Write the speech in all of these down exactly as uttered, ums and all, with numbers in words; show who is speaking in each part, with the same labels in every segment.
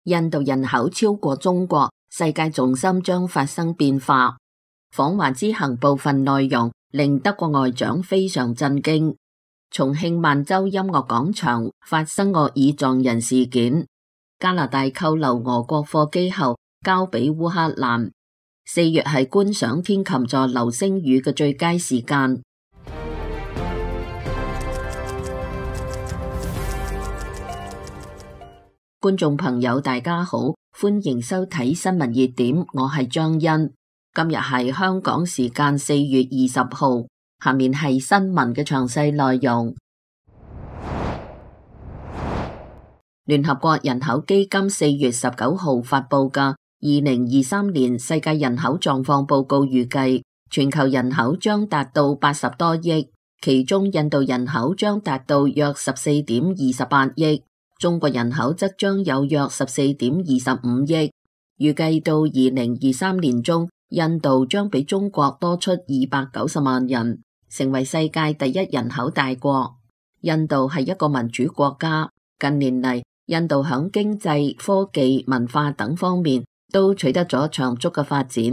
Speaker 1: 印度人口超過中國，世界重心將發生變化。訪華之行部分內容令德國外長非常震驚。重慶萬州音樂廣場發生惡意撞人事件。加拿大扣留俄國貨機後交俾烏克蘭。四月係觀賞天琴座流星雨嘅最佳時間。觀眾朋友大家好，歡迎收睇新聞熱點，我係張欣。今日係香港時間四月二十號，下面係新聞嘅詳細內容。聯合國人口基金四月十九號發佈嘅二零二三年世界人口狀況報告預計，全球人口將達到八十多億，其中印度人口將達到約十四點二十八億。中國人口則將有約十四點二十五億，預計到二零二三年中，印度將比中國多出二百九十萬人，成為世界第一人口大國。印度係一個民主國家，近年嚟，印度響經濟、科技、文化等方面都取得咗長足嘅發展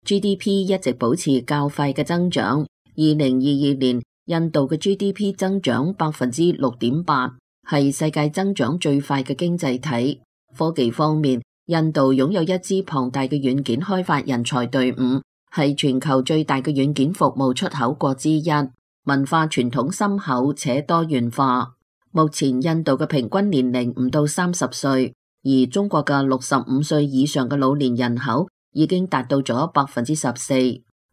Speaker 1: ，G D P 一直保持較快嘅增長。二零二二年，印度嘅 G D P 增長百分之六點八。係世界增長最快嘅經濟體。科技方面，印度擁有一支龐大嘅軟件開發人才隊伍，係全球最大嘅軟件服務出口國之一。文化傳統深厚且多元化。目前印度嘅平均年齡唔到三十歲，而中國嘅六十五歲以上嘅老年人口已經達到咗百分之十四。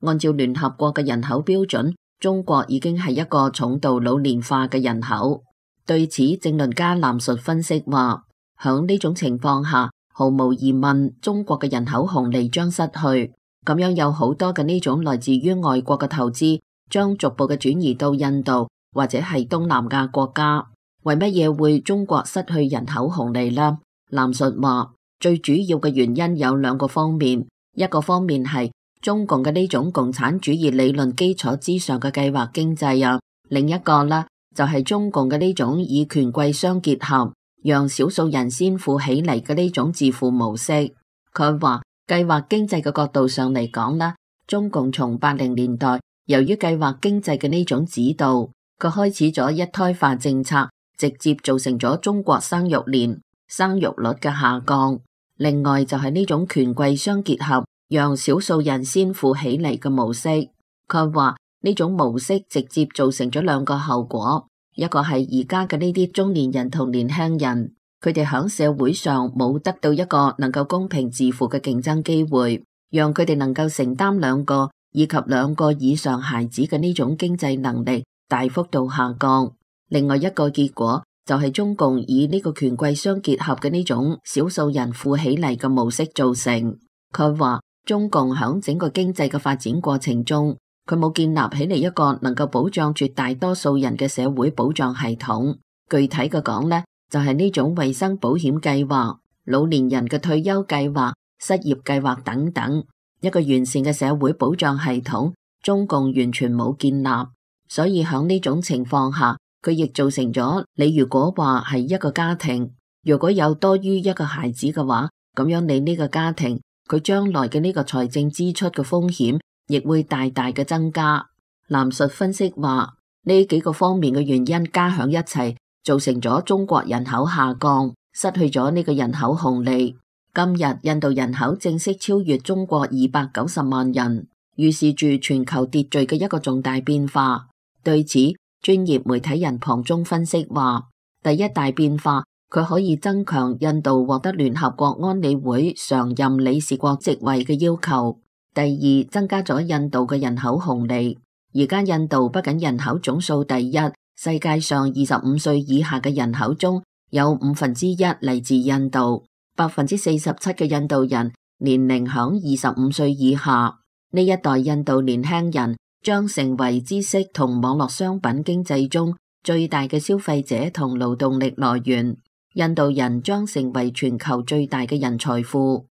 Speaker 1: 按照聯合國嘅人口標準，中國已經係一個重度老年化嘅人口。對此，政論家藍述分析話，響呢種情況下，毫無疑問，中國嘅人口紅利將失去。咁樣有好多嘅呢種來自於外國嘅投資，將逐步嘅轉移到印度或者係東南亞國家。為乜嘢會中國失去人口紅利呢？藍述話，最主要嘅原因有兩個方面，一個方面係中共嘅呢種共產主義理論基礎之上嘅計劃經濟啊，另一個呢，就係中共嘅呢種以權貴相結合，讓少數人先富起嚟嘅呢種致富模式。佢話計劃經濟嘅角度上嚟講啦，中共從八零年代由於計劃經濟嘅呢種指導，佢開始咗一胎化政策，直接造成咗中國生育年、生育率嘅下降。另外就係呢種權貴相結合，讓少數人先富起嚟嘅模式。佢話呢種模式直接造成咗兩個後果，一個係而家嘅呢啲中年人同年輕人，佢哋喺社會上冇得到一個能夠公平自負嘅競爭機會，讓佢哋能夠承擔兩個以及兩個以上孩子嘅呢種經濟能力大幅度下降。另外一個結果就係中共以呢個權貴相結合嘅呢種少數人富起嚟嘅模式造成。佢話中共喺整個經濟嘅發展過程中，佢冇建立起嚟一個能夠保障絕大多數人嘅社會保障系統。具體嘅講呢，就係呢種衛生保險計劃、老年人嘅退休計劃、失業計劃等等，一個完善嘅社會保障系統，中共完全冇建立。所以喺呢種情況下，佢亦造成咗，你如果話係一個家庭，如果有多於一個孩子嘅話，咁樣你呢個家庭佢將來嘅呢個財政支出嘅風險亦會大大嘅增加。藍述分析話，呢幾個方面嘅原因加響一齊，造成咗中國人口下降，失去咗呢個人口紅利。今日印度人口正式超越中國二百九十萬人，預示住全球秩序嘅一個重大變化。對此，專業媒體人龐中分析話，第一大變化，佢可以增強印度獲得聯合國安理會常任理事國職位嘅要求。第二，增加咗印度嘅人口紅利。而家印度不僅人口總數第一，世界上二十五歲以下嘅人口中有五分之一嚟自印度，百分之四十七嘅印度人年齡響二十五歲以下。呢一代印度年輕人將成為知識同網絡商品經濟中最大嘅消費者同勞動力來源。印度人將成為全球最大嘅人才庫。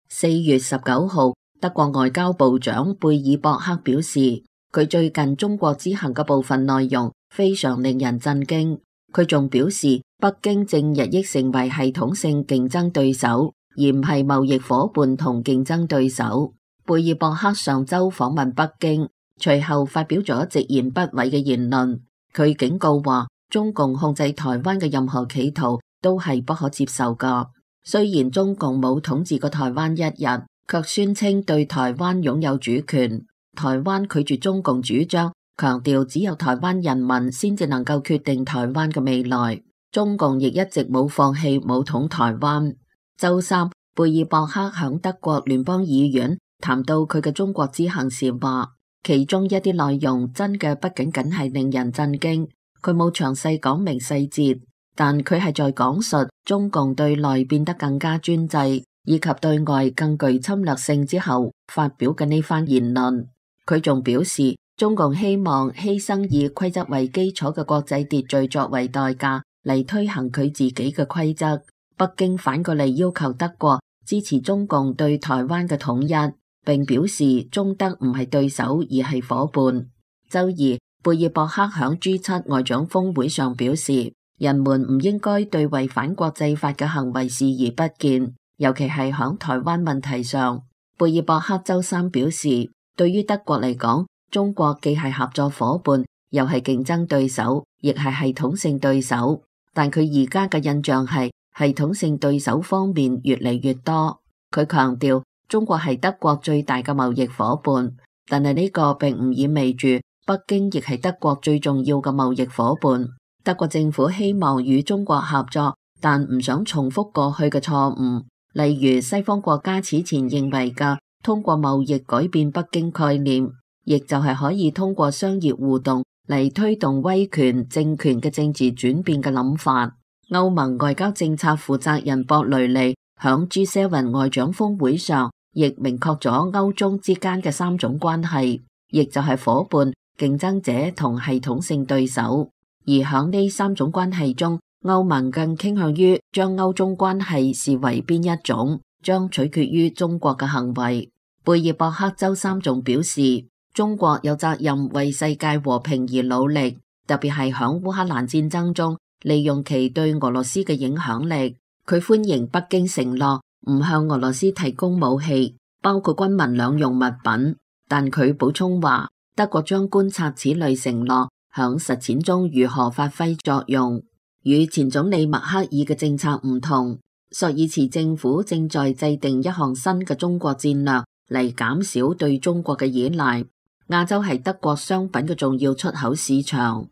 Speaker 1: 四月十九號，德國外交部長貝爾博克表示，佢最近中國之行嘅部分內容非常令人震驚。佢仲表示，北京正日益成為系統性競爭對手，而唔係貿易夥伴同競爭對手。貝爾博克上周訪問北京，隨後發表咗直言不諱嘅言論。佢警告話，中共控制台灣嘅任何企圖都係不可接受㗎。雖然中共冇統治過台灣一日，卻宣稱對台灣擁有主權。台灣拒絕中共主張，強調只有台灣人民先至能夠決定台灣嘅未來。中共亦一直冇放棄武統台灣。周三，貝爾博克響德國聯邦議院談到佢嘅中國之行時話，其中一啲內容真嘅不僅僅係令人震驚。佢冇詳細講明細節，但佢係在講述中共對內變得更加專制，以及對外更具侵略性之後發表嘅呢番言論。佢仲表示，中共希望犧牲以規則為基礎嘅國際秩序作為代價嚟推行佢自己嘅規則。北京反過嚟要求德國支持中共對台灣嘅統一，並表示中德唔係對手而係夥伴。周二，貝爾博克響 G 七外長峰會上表示，人們唔應該對違反國際法嘅行為視而不見，尤其係響台灣問題上。貝爾博克周三表示，對於德國嚟講，中國既係合作夥伴，又係競爭對手，亦係系統性對手。但佢而家嘅印象係系統性對手方面越嚟越多。佢強調，中國係德國最大嘅貿易夥伴，但係呢個並唔意味住北京亦係德國最重要嘅貿易夥伴。德國政府希望與中國合作，但唔想重複過去嘅錯誤，例如西方國家此前認為嘅通過貿易改變北京概念，亦就係可以通過商業互動嚟推動威權政權嘅政治轉變嘅諗法。歐盟外交政策負責人博雷利響 G 七 外長峰會上亦明確咗歐中之間嘅三種關係，亦就係夥伴、競爭者同系統性對手。而響呢三種關係中，歐盟更傾向於將歐中關係視為邊一種，將取決於中國嘅行為。貝爾博克周三仲表示，中國有責任為世界和平而努力，特別係響烏克蘭戰爭中利用其對俄羅斯嘅影響力。佢歡迎北京承諾唔向俄羅斯提供武器，包括軍民兩用物品，但佢補充話，德國將觀察此類承諾響實踐中如何發揮作用。與前總理默克爾嘅政策唔同，朔爾茨政府正在制定一項新嘅中國戰略嚟減少對中國嘅依賴。亞洲係德國商品嘅重要出口市場。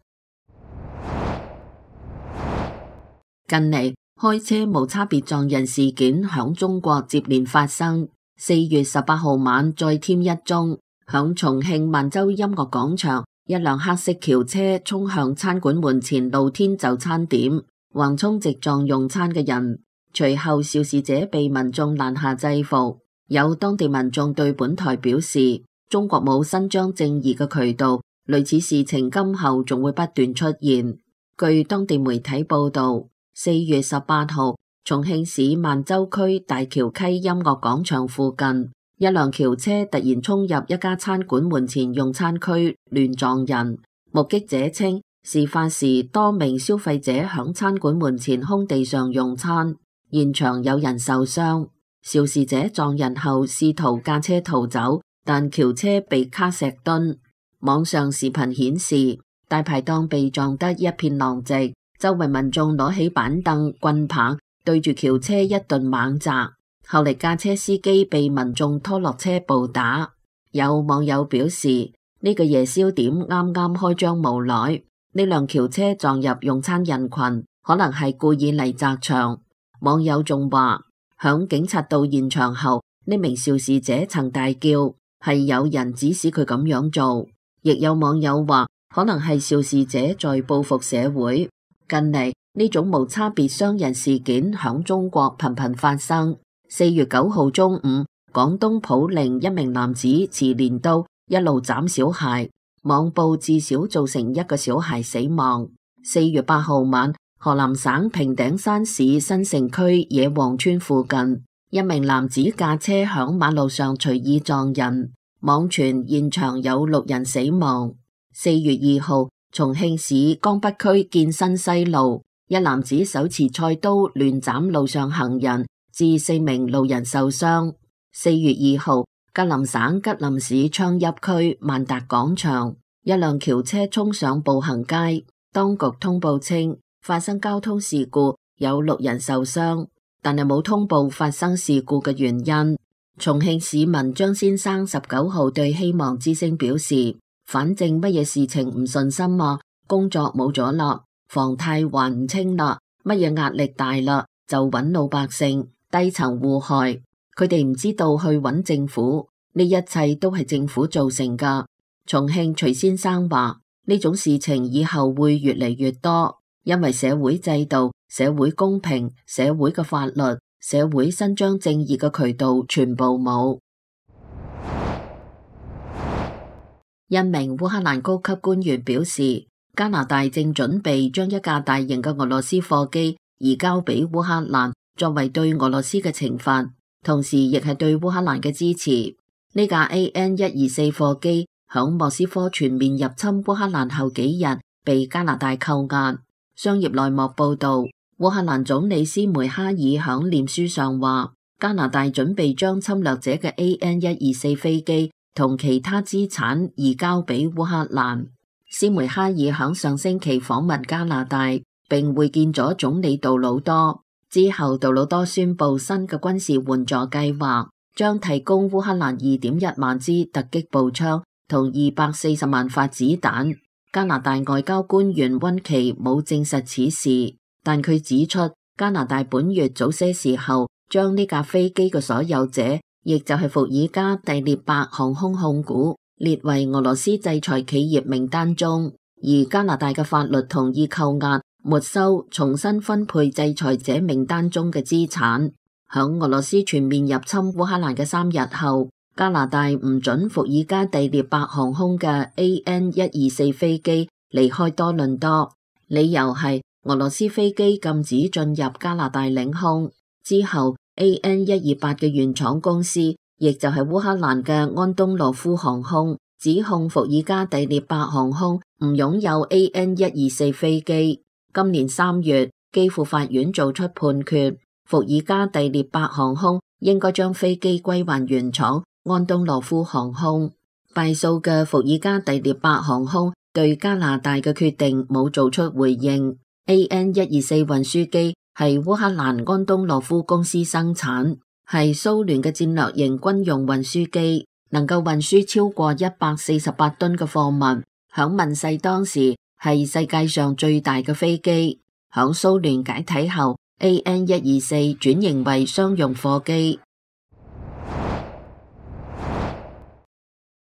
Speaker 1: 近嚟開車無差別撞人事件響中國接連發生，四月十八號晚再添一宗，響重慶萬州音樂廣場，一輛黑色轎車衝向餐館門前露天就餐點，橫衝直撞用餐嘅人，隨後肇事者被民眾攔下制服。有當地民眾對本台表示，中國冇伸張正義嘅渠道，類似事情今後仲會不斷出現。據當地媒體報道，四月十八號，重慶市萬州區大橋溪音樂廣場附近，一輛轎車突然衝入一家餐館門前用餐區，亂撞人。目擊者稱，事發時多名消費者響餐館門前空地上用餐，現場有人受傷。肇事者撞人後試圖駕車逃走，但轎車被卡石墩。網上視頻顯示，大排檔被撞得一片狼藉，周圍民眾攞起板凳、棍棒對住轎車一頓猛砸。後嚟駕車司機被民眾拖落車暴打。有網友表示，呢個夜宵點啱啱開張無耐，呢輛轎車撞入用餐人群，可能係故意嚟砸場。網友仲話，響警察到現場後，呢名肇事者曾大叫，係有人指使佢咁樣做。亦有網友話，可能係肇事者在報復社會。近嚟呢種無差別傷人事件響中國頻頻發生。四月九號中午，廣東普寧一名男子持鐮刀一路斬小孩，網曝至少造成一個小孩死亡。四月八號晚，河南省平頂山市新城區野王村附近，一名男子駕車響馬路上隨意撞人，網傳現場有六人死亡。四月二號，重慶市江北區建新西路，一男子手持菜刀亂斬路上行人，致四名路人受傷。四月二號，吉林省吉林市昌邑區萬達廣場，一輛轎車衝上步行街，當局通報稱發生交通事故，有六人受傷，但係冇通報發生事故嘅原因。重慶市民張先生十九號對希望之聲表示，反正乜嘢事情唔順心啊，工作冇咗啦，房貸還唔清啦，乜嘢壓力大啦，就揾老百姓低層互害，佢哋唔知道去揾政府，呢一切都係政府造成噶。重慶徐先生話，呢種事情以後會越嚟越多，因為社會制度、社會公平、社會嘅法律、社會伸張正義嘅渠道全部冇。一名烏克蘭高級官員表示，加拿大正準備將一架大型嘅俄羅斯貨機移交俾烏克蘭，作為對俄羅斯嘅懲罰，同時亦係對烏克蘭嘅支持。呢架 A N 一二四貨機響莫斯科全面入侵烏克蘭後幾日被加拿大扣押。商業內幕報道，烏克蘭總理斯梅哈爾響臉書上話，加拿大準備將侵略者嘅 A N 一二四飛機同其他資產移交俾烏克蘭。斯梅哈爾響上星期訪問加拿大，並會見咗總理杜魯多。之後，杜魯多宣布新嘅軍事援助計劃，將提供烏克蘭二點一萬支突擊步槍同二百四十萬發子彈。加拿大外交官員溫奇冇證實此事，但佢指出，加拿大本月早些時候將呢架飛機嘅所有者，亦就係伏爾加第聶伯航空控股，列為俄羅斯制裁企業名單中，而加拿大嘅法律同意扣押、沒收、重新分配制裁者名單中嘅資產。響俄羅斯全面入侵烏克蘭嘅三日後，加拿大唔准伏爾加第聶伯航空嘅 A N 一二四飛機離開多倫多，理由係俄羅斯飛機禁止進入加拿大領空。之後 A N 一二八嘅原廠公司，亦就係烏克蘭嘅安東諾夫航空，指控伏爾加第聶伯航空唔擁有 A N 一二四飛機。今年三月，基輔法院做出判決，伏爾加第聶伯航空應該將飛機歸還原廠安東諾夫航空。敗訴嘅伏爾加第聶伯航空對加拿大嘅決定冇做出回應。A N 一二四運輸機係烏克蘭安東諾夫公司生產，係蘇聯嘅戰略型軍用運輸機，能夠運輸超過一百四十八噸嘅貨物。響問世當時係世界上最大嘅飛機。響蘇聯解體後， A N 一二四轉型為商用貨機。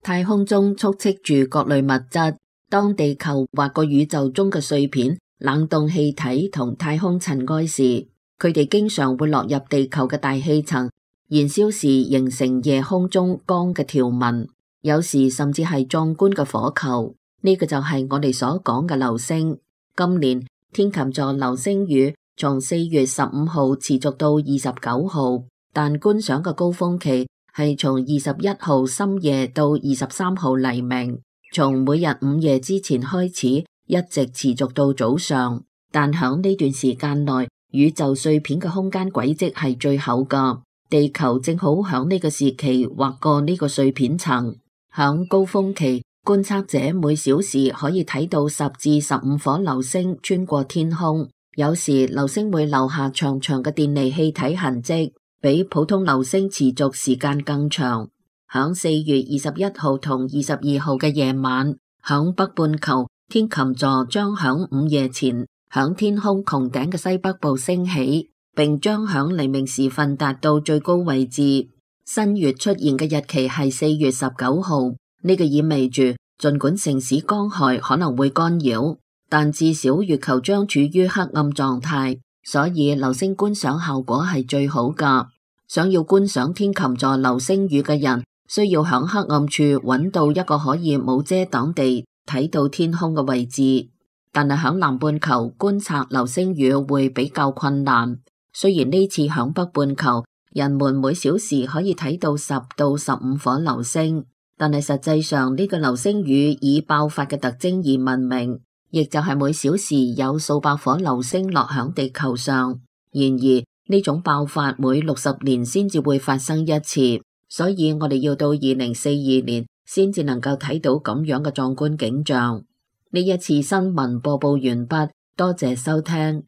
Speaker 1: 太空中充斥住各類物質，當地球劃過宇宙中嘅碎片、冷凍氣體同太空塵埃時，佢哋經常會落入地球嘅大氣層，燃燒時形成夜空中光嘅條紋，有時甚至係壯觀嘅火球。呢、這個就係我哋所講嘅流星。今年天琴座流星雨從四月十五號持續到二十九號，但觀賞嘅高峰期係從二十一號深夜到二十三號黎明，從每日午夜之前開始，一直持續到早上。但響呢段時間內，宇宙碎片嘅空間軌跡係最厚㗎，地球正好響呢個時期劃過呢個碎片層。響高峰期，觀測者每小時可以睇到十至十五顆流星穿過天空，有時流星會留下長長嘅電離氣體痕跡，比普通流星持續時間更長。響四月二十一號同二十二號嘅夜晚，響北半球天琴座將響午夜前響天空穹頂嘅西北部升起，並將響黎明時分達到最高位置。新月出現嘅日期係四月十九號，呢個意味住儘管城市光害可能會干擾，但至少月球將處於黑暗狀態，所以流星觀賞效果係最好㗎。想要觀賞天琴座流星雨嘅人，需要響黑暗處揾到一個可以冇遮擋地睇到天空嘅位置。但係響南半球觀察流星雨會比較困難。雖然呢次響北半球，人們每小時可以睇到十到十五顆流星，但係實際上呢個流星雨以爆發嘅特徵而聞名。亦就係每小時有數百顆流星落響地球上。然而呢種爆發每六十年先至會發生一次，所以我哋要到二零四二年先至能夠睇到咁樣嘅壯觀景象。呢一次新聞播報完畢，多謝收聽。